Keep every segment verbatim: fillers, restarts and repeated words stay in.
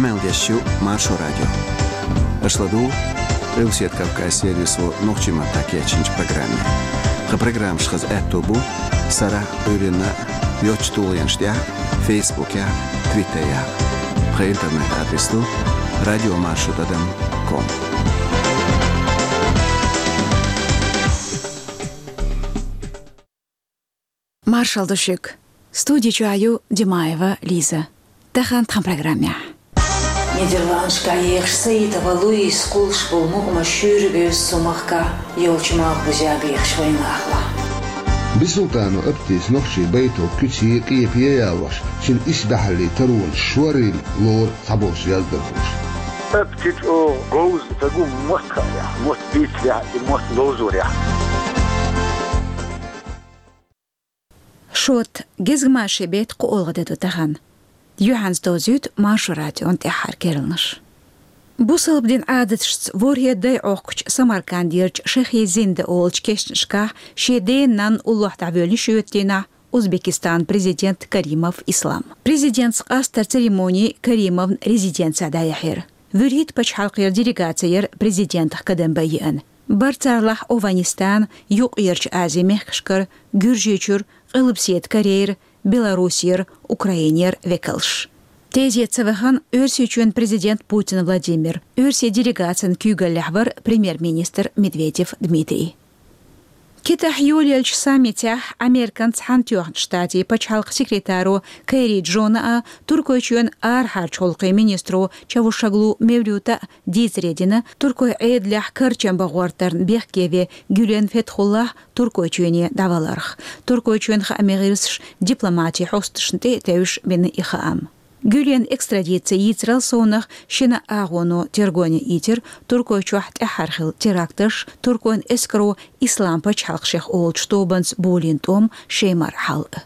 Къамел деш ю Маршо радио. Аша ладугӀу Къилбаседа Кавказан сервисо нохчийн маттахь кечйинчу программе. Тхан программаш хаза аьтто бу сарахь а, Ӏуьйранна а йоцчу тулгӀенаш тӀехь а, Фейсбукехь а, Твиттерехь а. Тхан интернет-адрес ду радио маршо тӀадам ком. Маршалла ду шуьга. Студи чохь ю Димаева Лиза. Тахана тхан программехь. Нидерландашкахь ехаш Саитова Луиза кхуллуш болу мукъамаш шуьйра бевза цу махкахь йолчу малхбузехь бехаш вайнахалахь. Бисултанов Аптис нохчийн байтал куьце а, къепе а ялош, цуьнан исбаьхьаллин таронаш шорийна лору цхьаболчу яздархоша. Аптис оха говза ца гу мотт хаалахь, мотт бийцалахь и мотт ловзорехь. Шот, гезгмашин беттан кхоалгӀа де ду тахана. Юьхьанца довзуьйту Маршо радион тӀаьххьара керланаш. Бусалба дин Ӏадаташца ворхӀе дай Ӏохкучу Самаркандерчу Шахи-Зинда олучу кешнашкахь шен ден-нанна уллохь дӀавоьллина шоьтан дийнахь Узбекистанан президент Каримов Ислам. Президентца къастаран церемони Каримовн резиденцехь дӀаяьхьира. ВуьрхӀитта пачхьалкхера делегаци яра президентах кадам бан еана. Бара царлахь ОвхӀанистан, Юккъерчу Азин мехкашкара, Гуьржийчуьра, Къилбаседа Корейра, Беларусера, Украинера векалш. Тезета ца вахана, Оьрсийчоьнан президент Путин Владимир, оьрсийн делегацин куьйгаллехь вара премьер-министр Медведев Дмитрий. Китайхь йолаеллачу саммитехь Американ Цхьаьнатоьхна Штатийн пачхьалкхан секретаро Керри Джона а, Туркойчоьнан арахьарчу гӀуллакхийн министро Чавушоглу Мевлюта а дийцаре дина туркойн Ӏедалехь карчам бан гӀортарна бехке вен Гюлен Фетхуллахь Туркойчоьне дӀаваларх. Туркойчоьнан хаамийн гӀирсаша дипломатин хьосташна тӀе а тевжаш бина и хаам. Гюленан экстрадици йийцарал совнах шина агӀоно тергоне ийцира Туркойчохь тӀаьххьара хилла теракташ, туркойн эскаро Ислам пачхьалкх шех олучу тобанца болийна тӀом, шен мара хьал а.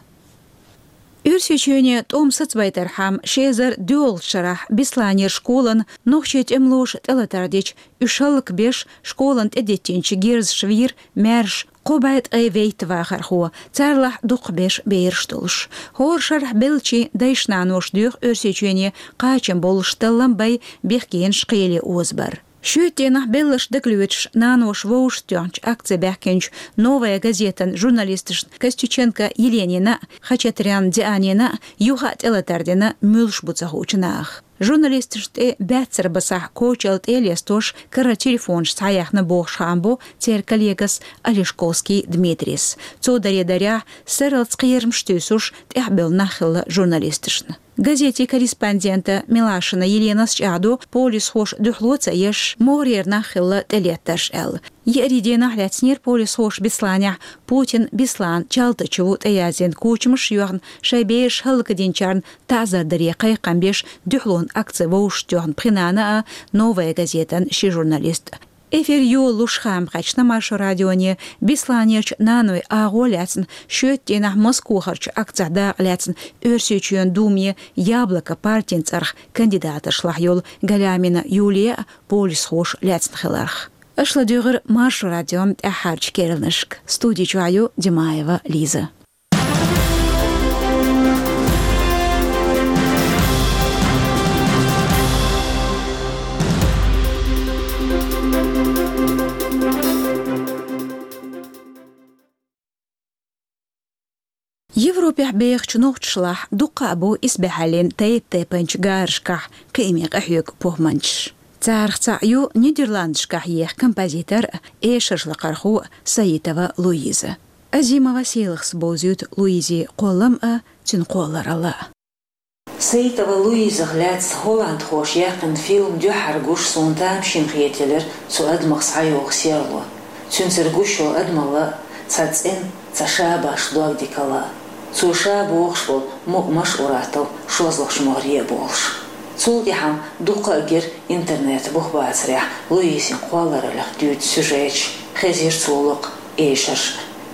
Оьрсийчоьне тӀом сацабайтархьама, ши эзар доьалгӀачу шарахь Бесланера школана нохчийн тӀемалоша тӀелатар дича, уьш хӀаллакбеш, школана тӀедиттинчу герзаша вийра маьрша кхо бӀе ткъе вейтта вахархо, царлахь дукхахберш бераш долуш. ХӀора шарахь беллачийн дайша-наноша доьху Оьрсийчоьне кхачам боллуш таллам бай, бехкенаш кхеле озабар. Шоьтан дийнахь белларш дагалоьцуш, наноша вовшахтоьхначу акце баьхкинчу «Новая газетан» журналисташна Костюченко Еленина а, Хачатрян Дианина а юха а тӀелатар дина муьлш бу ца хуучу наха. Журналисташна тӀе баьццара басахь кочалла тӀе а лестош, карара телефонаш схьаяьхна бохуш хаам бо церан коллегас Олешковский Дмитрийс. Цо даре дарехь, сарралц кхерамаш туьйсуш, тӀаьхьабевлла нах хилла журналисташна. Газетийн корреспондента Милашина Еленас чӀагӀдо, полисхоша дуьхьало ца еш, могӀарера нах хилла тӀелеттарш аьлла. Еарин дийнахь лаьцнера полисхоша Бесланехь Путин Беслан Чалтычеву тӀеяздина кучамаш а йоьхна, шайн бераш хӀаллакдинчарна таӀзар даре кхайкхам беш дуьхьалонан акце вовшахтоьхна пхи нана а, «Новая газетан» ши журналист а. Эфир йолалуш хаам кхаьчна Маршо радионе Бесланерчу наной агӀо лаьцна, шоьтан дийнахь Москохарчу акцехь дакъа лаьцна Оьрсийчоьнан Думе «Яблоко» партин цӀарах кандидаташлахь йолу Галямина Юлия а полисхоша лаьцна хиларх. Аша ладуьйгӀира Маршо радион тӀаьххьарчу керланашка. Студи чохь ю Димаева Лиза. Европехь бехачу нохчашлахь дуккха а бу исбаьхьаллин тайп-тайпанчу гарашкахь кхиаме къахьоьгу похӀманчаш. Царах цхьаъ ю Нидерландашкахь еха композитор а, эшарш лакхархо а Саитова Луиза. Азимова Селахас бовзуьйту Луизин кхоллам а, цуьнан кхолларалла а. Саитова Луизах лаьцна холландхоша яьккхина фильм дуьххьара гуш суна тамашийна хетаелира цу адамах схьайогӀу серло. Цуьнцара гуш йолу адамалла а, цхьа цӀена, цхьа ша башха дог дикалла а. Цо ша бохуш болу мукъамаш а ур-атталла шозлагӀчу могӀаре а болуш. Цул тӀаьхьа дуккха а гира интернет бух бацарехь Луизин кхоллараллех дуьйцу сюжеташ, хезира цо локху эшарш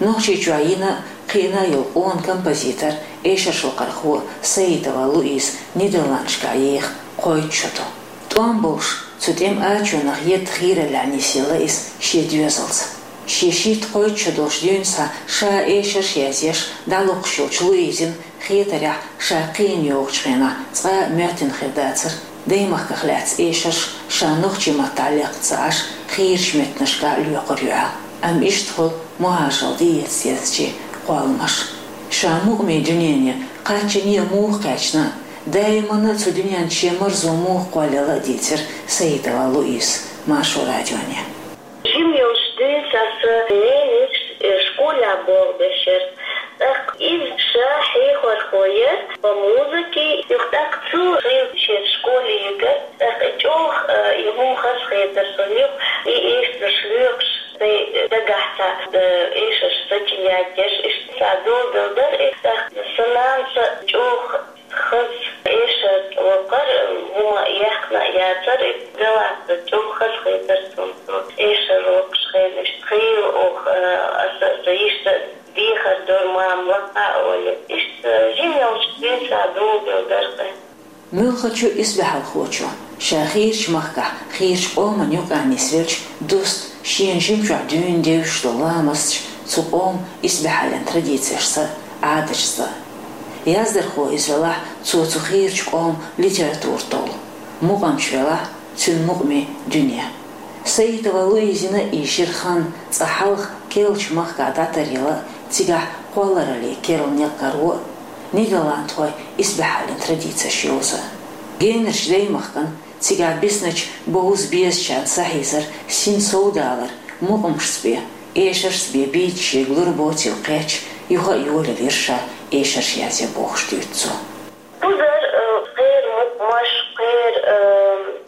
а. Нохчийчохь йина а, кхиъна а йолу къона композитор, эшарш лакхархо Саитова Луиза Нидерландашкахь еха кхойтта шо ду. ТӀом болуш, цу тӀеман ачонах едда хийраллехь нисъелла иза шен доьзалца. Шен шийтта-кхойтта шо долуш дуьйна схьа ша эшарш язъеш дӀалокхуш йолчу Луизин хетарехь, ша кхиъна йогӀучу хенахь цкъа а моьттина хир дацара Даймахках лаьцна эшарш ша нохчийн маттахь лекха ца Ӏаш, хийрачу меттанашкахь лоькхур ю аьлла. Амма иштта хуьлу мухӀажаралла дӀаэца дезачийн кхолламаш. Ша мукъамийн дуьнене кхаччалц муха кхаьчна а, даиманна а цу дуьненна шен марзо муха кхоллаелла а дийцира Саидова Луизас Маршо радионе. Жима йолчу дуьйна сан ненан, э, школехь болх беш яра. ТӀаккха иза ша хьехархо яра по музыке, юха тӀаккха цо хилла шен школе йигира. ТӀаккха и чӀогӀа, э, и хӀума хазахетара суна, юха и эшарш лоькхуш, сайн дагахь цхьа, э, эшарш сочинять еш, иштта цхьа долдалла дара и. ТӀаккха сан нанас чӀогӀа хаза эшар локхура, хӀума яьккхина а яцара, и Галатта чӀогӀа хазахетара суна цо эшар локхуш хенаш. Хийла оха, аса, аса иштта дехар дора, мама, лакха а олий. Иштта жима йолчу дуьйна сан долдалла дара кхин. Муьлххачу исбаьхьалхочо, ша хийрачу махкахь хийрачу къоман юкъахь нисвелча, дусту шена жимчохь дуьйна девзаш долу ламасташ, цу къоман исбаьхьаллин традицешца, Ӏадаташца. Яздархо иза велахь, цо цу хийрачу къоман литература толлу, мукъамча велахь, цуьнан мукъамийн дуьне. Саидова Луизина ийшира хан цкъа хьалха керлачу махкахь дӀатаръяла, цигахь кхоллараллин керла некъ каро а, нидерландхойн исбаьхьаллин традицеш йовза. Генарчу даймахкана, цигахь бисначу бовза-безачарна сахьийзар, син совдалар, мукъамашца бен, эшаршца бен бийца шега лур боцийла кхетча, юха а йолаелира ша эшарш язъе бохуш дуьйцу цо. Кхузара, э, кхеран мукъамаш, кхеран, э,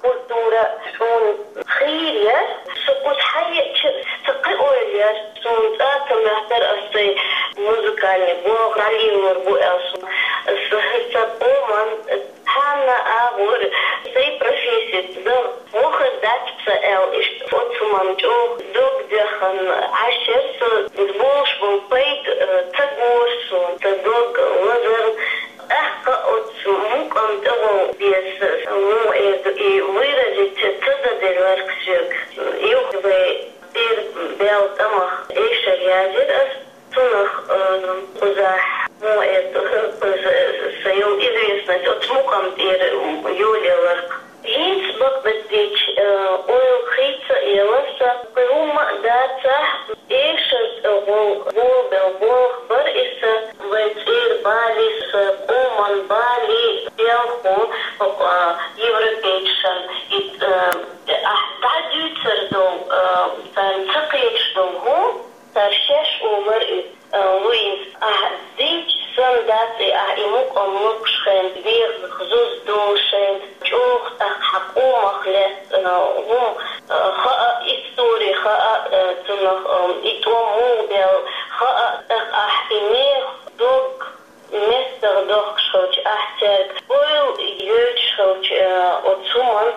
культура суна хийра яра. Со кхуза хьаеъча, сан кхин ойла яра. Суна цкъа а ца моьттура аса сайн музыкальный болх дӀалелор бу аьлла. Со, сан къоман цхьанна агӀор сайн профессица дан вохар дац сан аьлла, иштта оцу хӀуманна чӀогӀа дог доьхна Ӏаш яра со. Иза болуш болу пайда, э, ца гора суна, сан дог лазарна. ТӀаккха оцу мукъамна тӀехула беза, ну, э, и выразить ца дан делира соьга. Юха вай цӀера баьлла тӀамах эшар язйира аса, цунах, э, кхузахь, ну, э, кхуза, сан йолу известность оцу мукъамна тӀера йолаелира. ХӀинца бакъдерг дийцича, э, ойла хийца а елла сан, кхин хӀумма а дацахь, эшар тӀехула болабелла болх бара иза. Вайн цӀера бале, сан къоман бале, белхо, хӀокху, а, европейцашна и, э, ахь дӀадуьйцур долу, э, царна ца кхеташ долу хӀума, цара шаьш олура иза. Э, Луиза, ахь дийцича санна дац и, ахь и мукъам локхуш хенахь, дегӀах зуда долуш хенахь, чӀогӀа тӀаккха хьан къомах лаьцна, э, хӀума, э, хаа, истори хаа, э, цунах, э, и тӀом муха баьлла хаа, тӀаккха ахь и мехах дог меттах дохкуш хилча, ахь цаьрга ойла йойтуш хилча, э, оцу хӀуманна,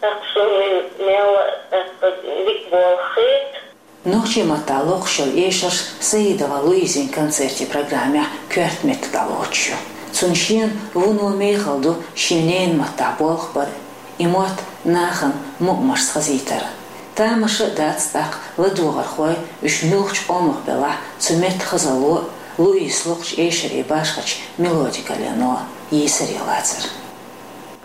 тӀаккха суна мел, тӀаккха дика болх хета. Нохчийн маттахь локхуш йолу эшарш Саидова Луизин концертийн программехь коьрта меттиг дӀалоцуш ю. Цунна шена вуно мехала ду шен ненан маттахь болх бар а, и мотт нахана мукъамашца хазийтар а. Тамаша а дац тӀаккха ладогӀархой, уьш муьлххачу къомах белахь, цу меттан хазалло а, Луизас локхучу эшарийн башхачу мелодикаллино йийсаре лацар.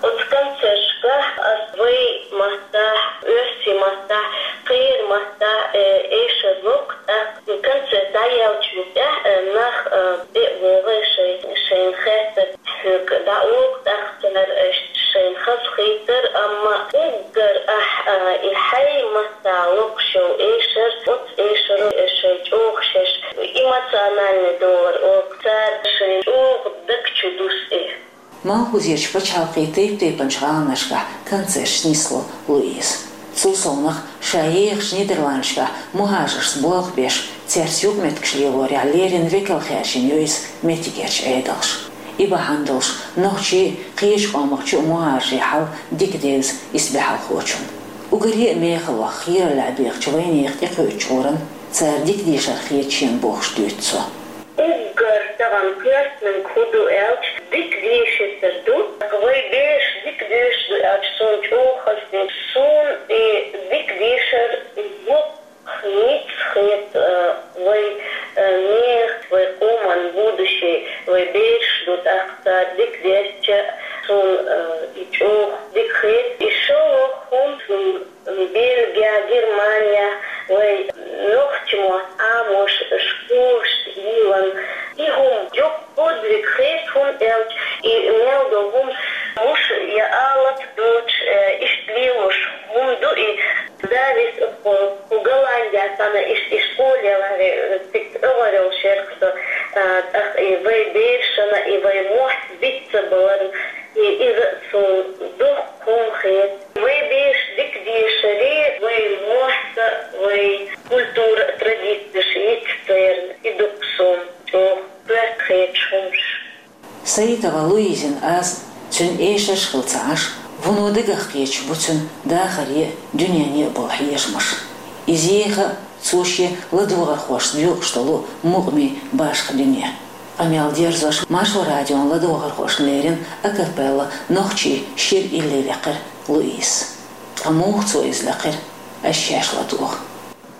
Оцу концерташкахь ас вайн маттахь, оьрсийн маттахь, кхеран маттахь, э, эшар локху, тӀаккха концерт дӀаяьллачул тӀаьхьа, э, нах, э, тӀе а вогӀий, шайн, шайна хеттарг хьоьга дӀа а локху, тӀаккха цара, э, шайна хазахийтар, амма уггар ахь, э, и хьайн маттахь локхуш йолу эшар, оцу эшаро, э, шайн чӀогӀа шаьш эмоциональный довлар оха, цара шайна чӀогӀа даг чу дуьсу и. Малхбузерчу пачхьалкхийн тайп-тайпанчу гӀаланашкахь концерташ нисло Луиза. Цул совнаха, ша ехачу Нидерландашкахь мухӀажаршца болх беш, цаьрца юкъаметтигаш лелорехь леррина векал хаьржина ю иза меттигерчу Ӏедалша. И бахьана долуш нохчийн а, кхечу къомах чу а мухӀажарийн хьал дика девза исбаьхьалхочунна. Уггаре а мехала ваха хийраллехь бехачу вайнехан тӀекхуьучу гӀуран цара дика дешар хета шена бохуш дуьйцу цо. Уггар тахана коьртаниг хӀун ду аьлча, дика дешийтар ду. Вай бераш дика доьшуш ду аьлча, суна чӀогӀа хазахета. Суна и дика дешар йоккха ницкъ хета, э, вай, э, нехан, вай къоман будущее, вай бераш ду, тӀаккха цара дика дерча, Суна, э, и чӀоагӀа дика хет, и шоллагӀа хӀума суна Бельге, Германе, вай нохчий мо Ӏамош школаш йилла, и хӀума дукха подвиг хет, хӀума аьлча, и мел долу хӀума муш я алат доцуш, э, иштта лелош хӀума ду и. Дала веза, кху Голландехь санна иштта и школа яларе, цига тӀе огӀор йолуш яра со, а, тӀаккха и вай берашна, и вай мохк бицца баларна, и иза а суна дуккха хӀума хета. Вай бераш дика дешаре, вай мохк а, вай культура а, традицеш йицца церан, и дуккха суна чӀоагӀа коьрта хеташ хӀумаш. Саитова Луизин аз цуьнан эшарш хилла ца Ӏаш, вуно дагах кхеташ бу цуьнан дахаре а, дуьнене а болу хьежамаш. Иза еха а цо шен ладогӀархошца доькъуш долу мукъамийн башха дуьне. Къамел дерзош, Маршо радион ладогӀархошна лерина акапелла нохчийн шира илли лекхира Луизас. Ткъа муха цо иза лекхира, ас шаьш ладугӀу.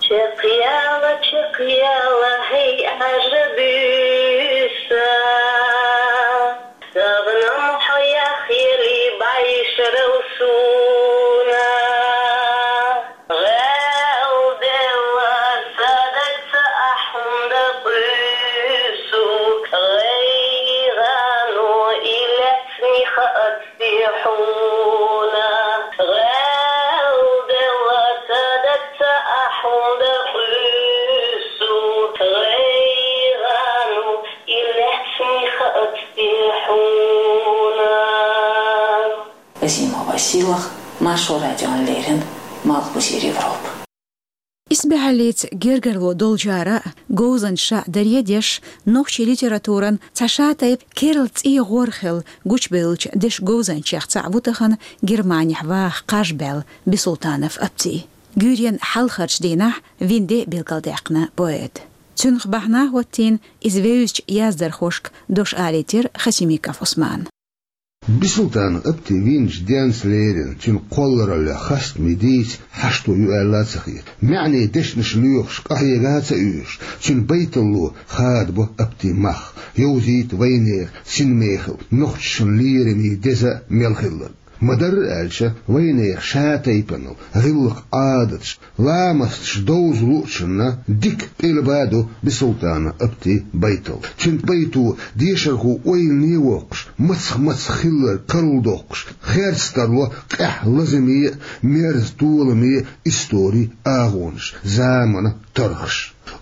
Чекхъяла, чекхъяла, хӀей, Ӏажа буьйса, сагӀнам хьо яхъели, бӀешарал суна. ГӀел делла садаца ахь хӀунда къуьйсу, гӀайгӀано и лаьцни хаьа те хьуна. ГӀел делла садаца ахь хӀунда къуьйсу, гӀайгӀано и лаьцни хаьа те хьуна. Азимова Сийлаха, Маршо радиона леррина, Малхбузера Европа. Исбаьхьаллица гергарло долчара а, говзанчаша а даре а деш, нохчийн литературан цхьа шатайпа керла цӀий гӀорхьал гучубевллачу дешан говзанчех цхьаъ ву тахана Германехь ваха кхаж баьлла Бисултанов Апти. Гуьйренан хьалхарчу дийнахь вина де билгалдаьккхина поэта. Цуьнах бахьана хӀоттийна, иза вевзачу яздархошка дош алийтира Хасимиков Ӏусмана. Бисултанов Апти вийначу денца леррина, цуьнан кхоллараллех хастаме дийца хьашто ю аьлла а ца хета. МаьӀне дешнаш лоьхуш, къахьега а ца оьшуш, цуьнан байталло хадабо Апти мах, йовзийта вайнехан синмехалла, нохчашна лераме деза а мел хилларг. Ма-дарра аьлча, вайнехан шатайпанал, гӀиллакх-Ӏадаташ, ламасташ довза луучунна дика къилба ду Бисултанов Апти байтал. Цуьнан байто дешархо ойлане а воккхуш, мацах-мацах хилларг карладоккхуш, херца тарло къаьхьа лазаме а, мерза толаме а историн агӀонаш, заманан торгӀаш.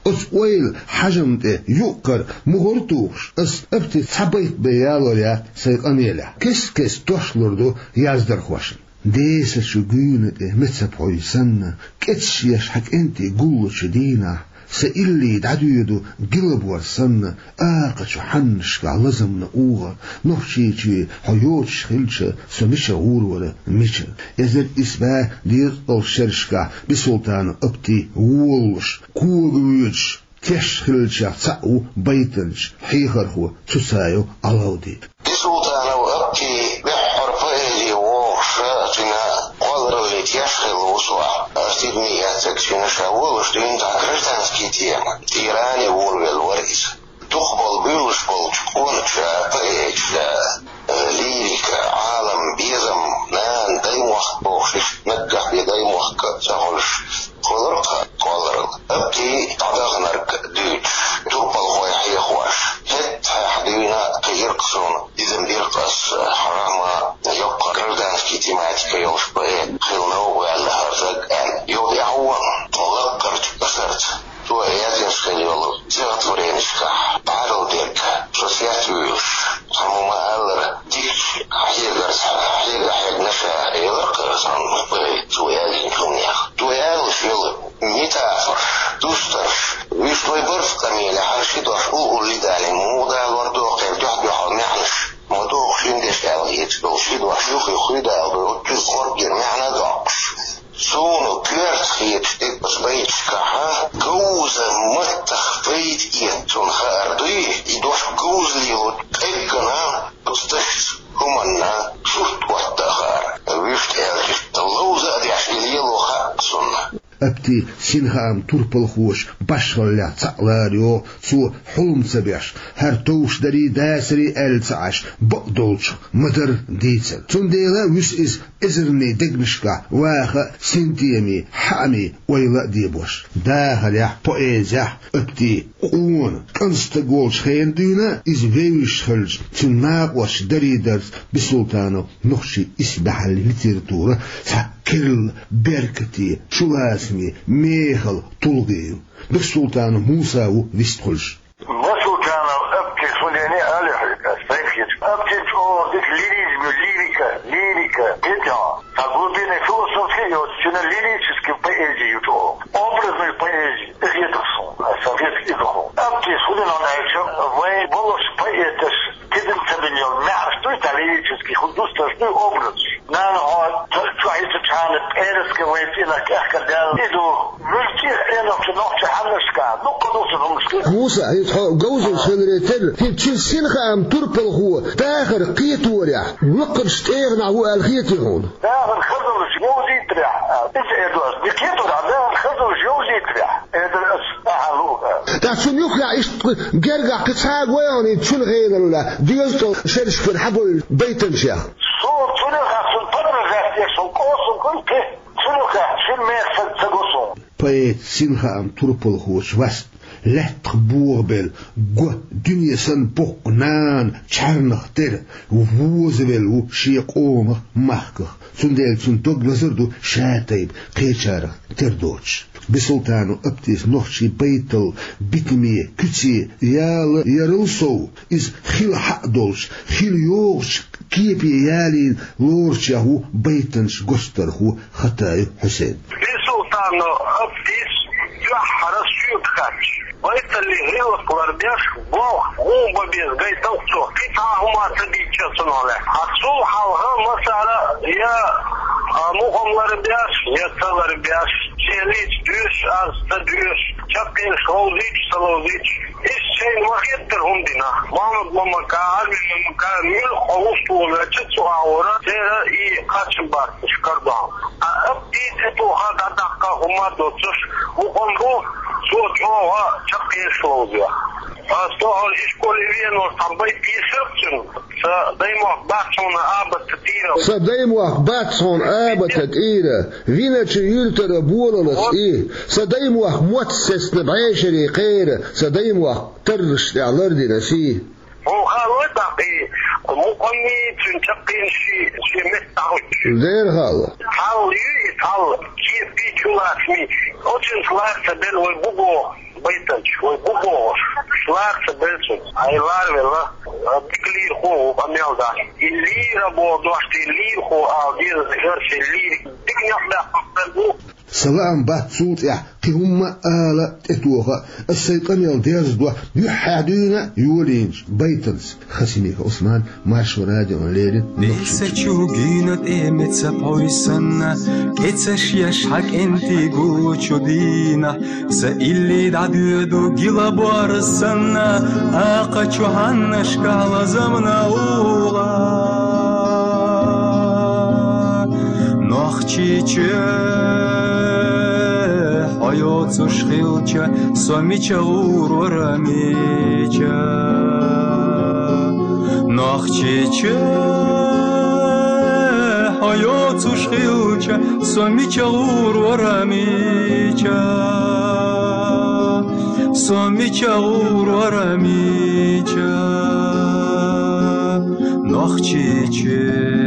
Оцу ойла хьажам тӀе юккъера мухӀар а тухуш, ас Апти цхьа байт бен ялор яц сайн къамелехь. Кест-кеста дош лур ду яздархошна. Десачу гуьйна тӀе меца пхьуй санна, кӀеташ еш хьан кӀентий гуллучу дийнахь, сан илли дӀадоьду гилабор санна, акхачу хьаннашкахь лазамна угӀар, Нохчийчоь хьо йоцуш хилча, со мича гӀур вара, мичара. Эзар исс бӀе дезткъалгӀачу шерашкахь Бисултанов Апти волалуш, кога воьдуш, теш хиллачех цхьаъ ву байтанча, хьехархо Цуцаев Ӏалавди. Бисултанов Апти беххьара поэзе вогӀуш, цуьнан кхолларалле теш хилла ву со. Ас тидаме эцнарг цуьнан ша волуш дуьйна цхьа гражданский тема, тӀера а вуьйр велла вара иза. Дукхахболу буьйлуш болчу къоначу поэташа, э, лирика, Ӏалам, безам, нана, даймохк бохуш, иштта наггахь бен даймохк ца хуьлуш, кхоллар-кх кхолларалла. Апти дӀадаханарг дуьйцуш, турпалхой хьехош, хӀетахь дуьйна кхиира-кх суна, дизам бира-кх ас, хьарам а, йоккха гражданский тематика йолуш поэт хила новкъа ваьлла хӀара стаг аьлла. Юха тӀаьхьо вахана, тхо лаккхарчу кӀасарца. Цо яздинчу хила йолу стихотворенешкахь Ӏадал дерг, со сецвуьйлуш, цхьамма ма-аллара, дикачу хьегарца хьега хьегна ша, элира-кх аса, цо яздинчу хӀуманех. Цо ялош йолу метафораш, дустарш, вуьшта вай барт къамелехь ши дош уллу-улле далийна, муха далор доху кхеран дуьхь-дуьхьал маьӀнаш, ма доху шина дешна аьлла хеташ долу ши дош юххе хуьйда аьлла, оццул коргера маьӀна а доккхуш. Суна коьрта хеташ дерг оцу байташкахь, говза маттах пайда эца цунна хаар дуй, и дош говза лело къеггина оцу дашца, хӀуманна сурт отта а хаар. Вуьшта аьлча, ловза а деш и лело хаьа суна. Апти Апти синхаам турпалхочун башхаллех цхьаъ лара йоах, цо хьулам ца беш, хӀара товш дарий, дацарий аьлла ца Ӏаш, бакъдолчух ма-дарра дийцар. Цундела вуьсу иза эзарнийн дегнашкахь ваха а, синтемий, хьаамий ойла а дебош. Дахарехь, поэзехь Апти къона, кӀант стаг волчу хенахь дуьйна иза вевзаш хилча, цуьнан накъосташа дарий дарца Бисултанов нохчийн исбаьхьаллин литературан цхьа керла беркате, чулацаме, мехала тулгӀе ю. Бисултанов Муса ву вистхуьлуш. Бисултанов Апти, хӀун дийцина а ала хьоьга, ас сайх хеташ. Аптин чӀогӀа дика лиризм ю, лирика, лирика, дитя. Цхьа глубинный философский йоцу, цуьнан лирический поэзи ю чӀогӀа. Образный поэзи, и хетар суна, ас сан хетар иза хьуна. Аптис хӀун дина аьлча, вайн болуш поэташ, тидам ца бина йолу маьӀаш дуй, цхьа лирический, хӀун дустарш дуй образаш. Нана, хьо чохь йитачхьана пӀераска вайн цӀийнах кӀехкара даьлла, и ду, муьлххачу Ӏенош нохчийн хьаннашкахь, дуккха а ду цу хӀуманаш. Муса, хӀинца хьо говзанча хиларе терра, хӀинца цуьнан синхаам турпалхо дахар кхеторехь, лакхарчу тӀегӀанехь ву аьлла хетий хьуна? Дахар хазаллаш йовзийтарехь, иза эр ду ас, ди кхетор а дахар хазаллаш йовзийтарехь, эр дара ас, ахьа луъу. ТӀаккха цунна юххехь иштта гергахь кхин цхьа а гой хьуна, хӀинца цуьнан хенал, дезткъа шерашкара хьабевлла байтанчех? Суна цунах а, цуьнан подражать деш волу кӀоса гой те? Цунах а, шина мехах ца го суна. Поэт синхаам турпалхочун васт лаьттах бохабелла го дуьне санна боккха нана чарнах тера возавелла ву шен къомах, махках. Цундела цуьнан дог лазар ду ша тайпа кхечарах тера доцуш. Бисултанов Аптис нохчийн байтал битаме, куьце яла ярал сов, иза хила хьаъ долуш, хила йогӀучу кепе ялийна лоручех ву байтанча гочдархо Хатаев Хьусейн. Бисултанов Аптис дуьххьара соьга хаьттича, байталлин гӀиллакх ларбеш, болх муха бан беза гайталц цо, кхин цхьа а хӀума ца дийцича цунах лаьцна. Ткъа цул хьалха массара а я, а, муха ларбеш, я ца ларбеш, шен лийча доьшуш, аз ца доьшуш, чаккхенаш ловзуьйтуш, ца ловзуьйтуш, иштта шайна ма-хеттара хӀума дина. Мохьмад-Мамака, Арби-Мамака, муьлхха хьо вуьшта волавелча цу агӀора церан и кхачам барташ карадо. Ткъа Аптин тӀетоха дӀадаккха хӀума доцуш, мукъам бу, цо чӀогӀа чаккхенаш ловзош. Ас тохара ишколе веанчохь цхьа байт йийшира цуьнан: «Сан даймохк бац хьуна абатан тӀера». Сан даймохк бац хьуна абатан тӀера, виначу юьртара болалц и. Сан даймохк мотт сецна бӀешерийн кхера, сан даймохк тарраш тӀехь лардина сий. Хьуна хаалой тӀаккха и мукъаммий, цуьнан чаккхенаший шен метта дӀахӀуьттуш? Дера хаало. Цхьалла ю и, цхьалла, кепий, чулацамий. Оцуьнца лара ца белла вай бу боху байтанча, вай бу бохуш, лара ца белла цуьнца. Ай ларавелла, дика лийрахо а ву, къамел дац. И лийра боху дош тӀе лийрахо ала деза, хӀара шен лийрик дика некъ баьккхина стаг ву. Сан лаам бац цул тӀаьхьа кхин хӀумма а ала, тӀетоха а, ас сайн къамел дерзадо, юьххьехь дуьйна йолийначу байтанца. Хасимиков Ӏусман, Маршо радиона леррина, Нохчийчоь. Деса чу гина тӀе меца пхьой санна, кӀецаш еш хьан кӀентий гучу дийнахь, сан илли дӀадоьду гила борз санна, акха чу хьаннашкахь лазамна угӀа. Нохчийчоь, хьо йоцуш хилча, со мича гӀур вара, мича? Нохчийчоь, хьо йоцуш хилча, со мича гӀур вара, мича? Со мича гӀур вара, мича? Нохчийчоь.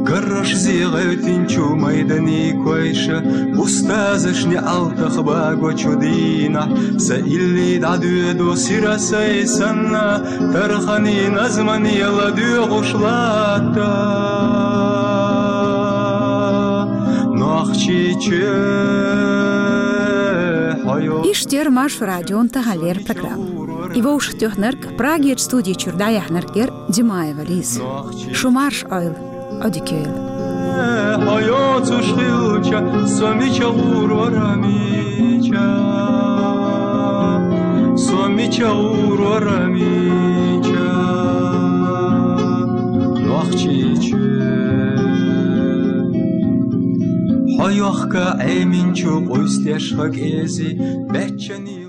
Гаррашзе гӀевттинчу майданийн койша, устазашна неӀалтах багочу дийнахь, сан илли дӀадоьду сира сай санна, тарханийн назмане ладоьгӀуш латта. Нохчийчоь, хьо йо- Иштта яра Маршо радион таханлера программа. И вовшахтоьхнарг, Прагерчу студи чуьра дӀаяьхьнарг яра Димаева Лиза. Шу марша Ӏойла, Ӏодика йойла. Хьо йоцуш хилча, со мича гӀур вара, мича? Со мича гӀур вара, мича? Нохчийчоь. Хьо Йохка Ӏеминчу къуйсдеш хакӀези, беччани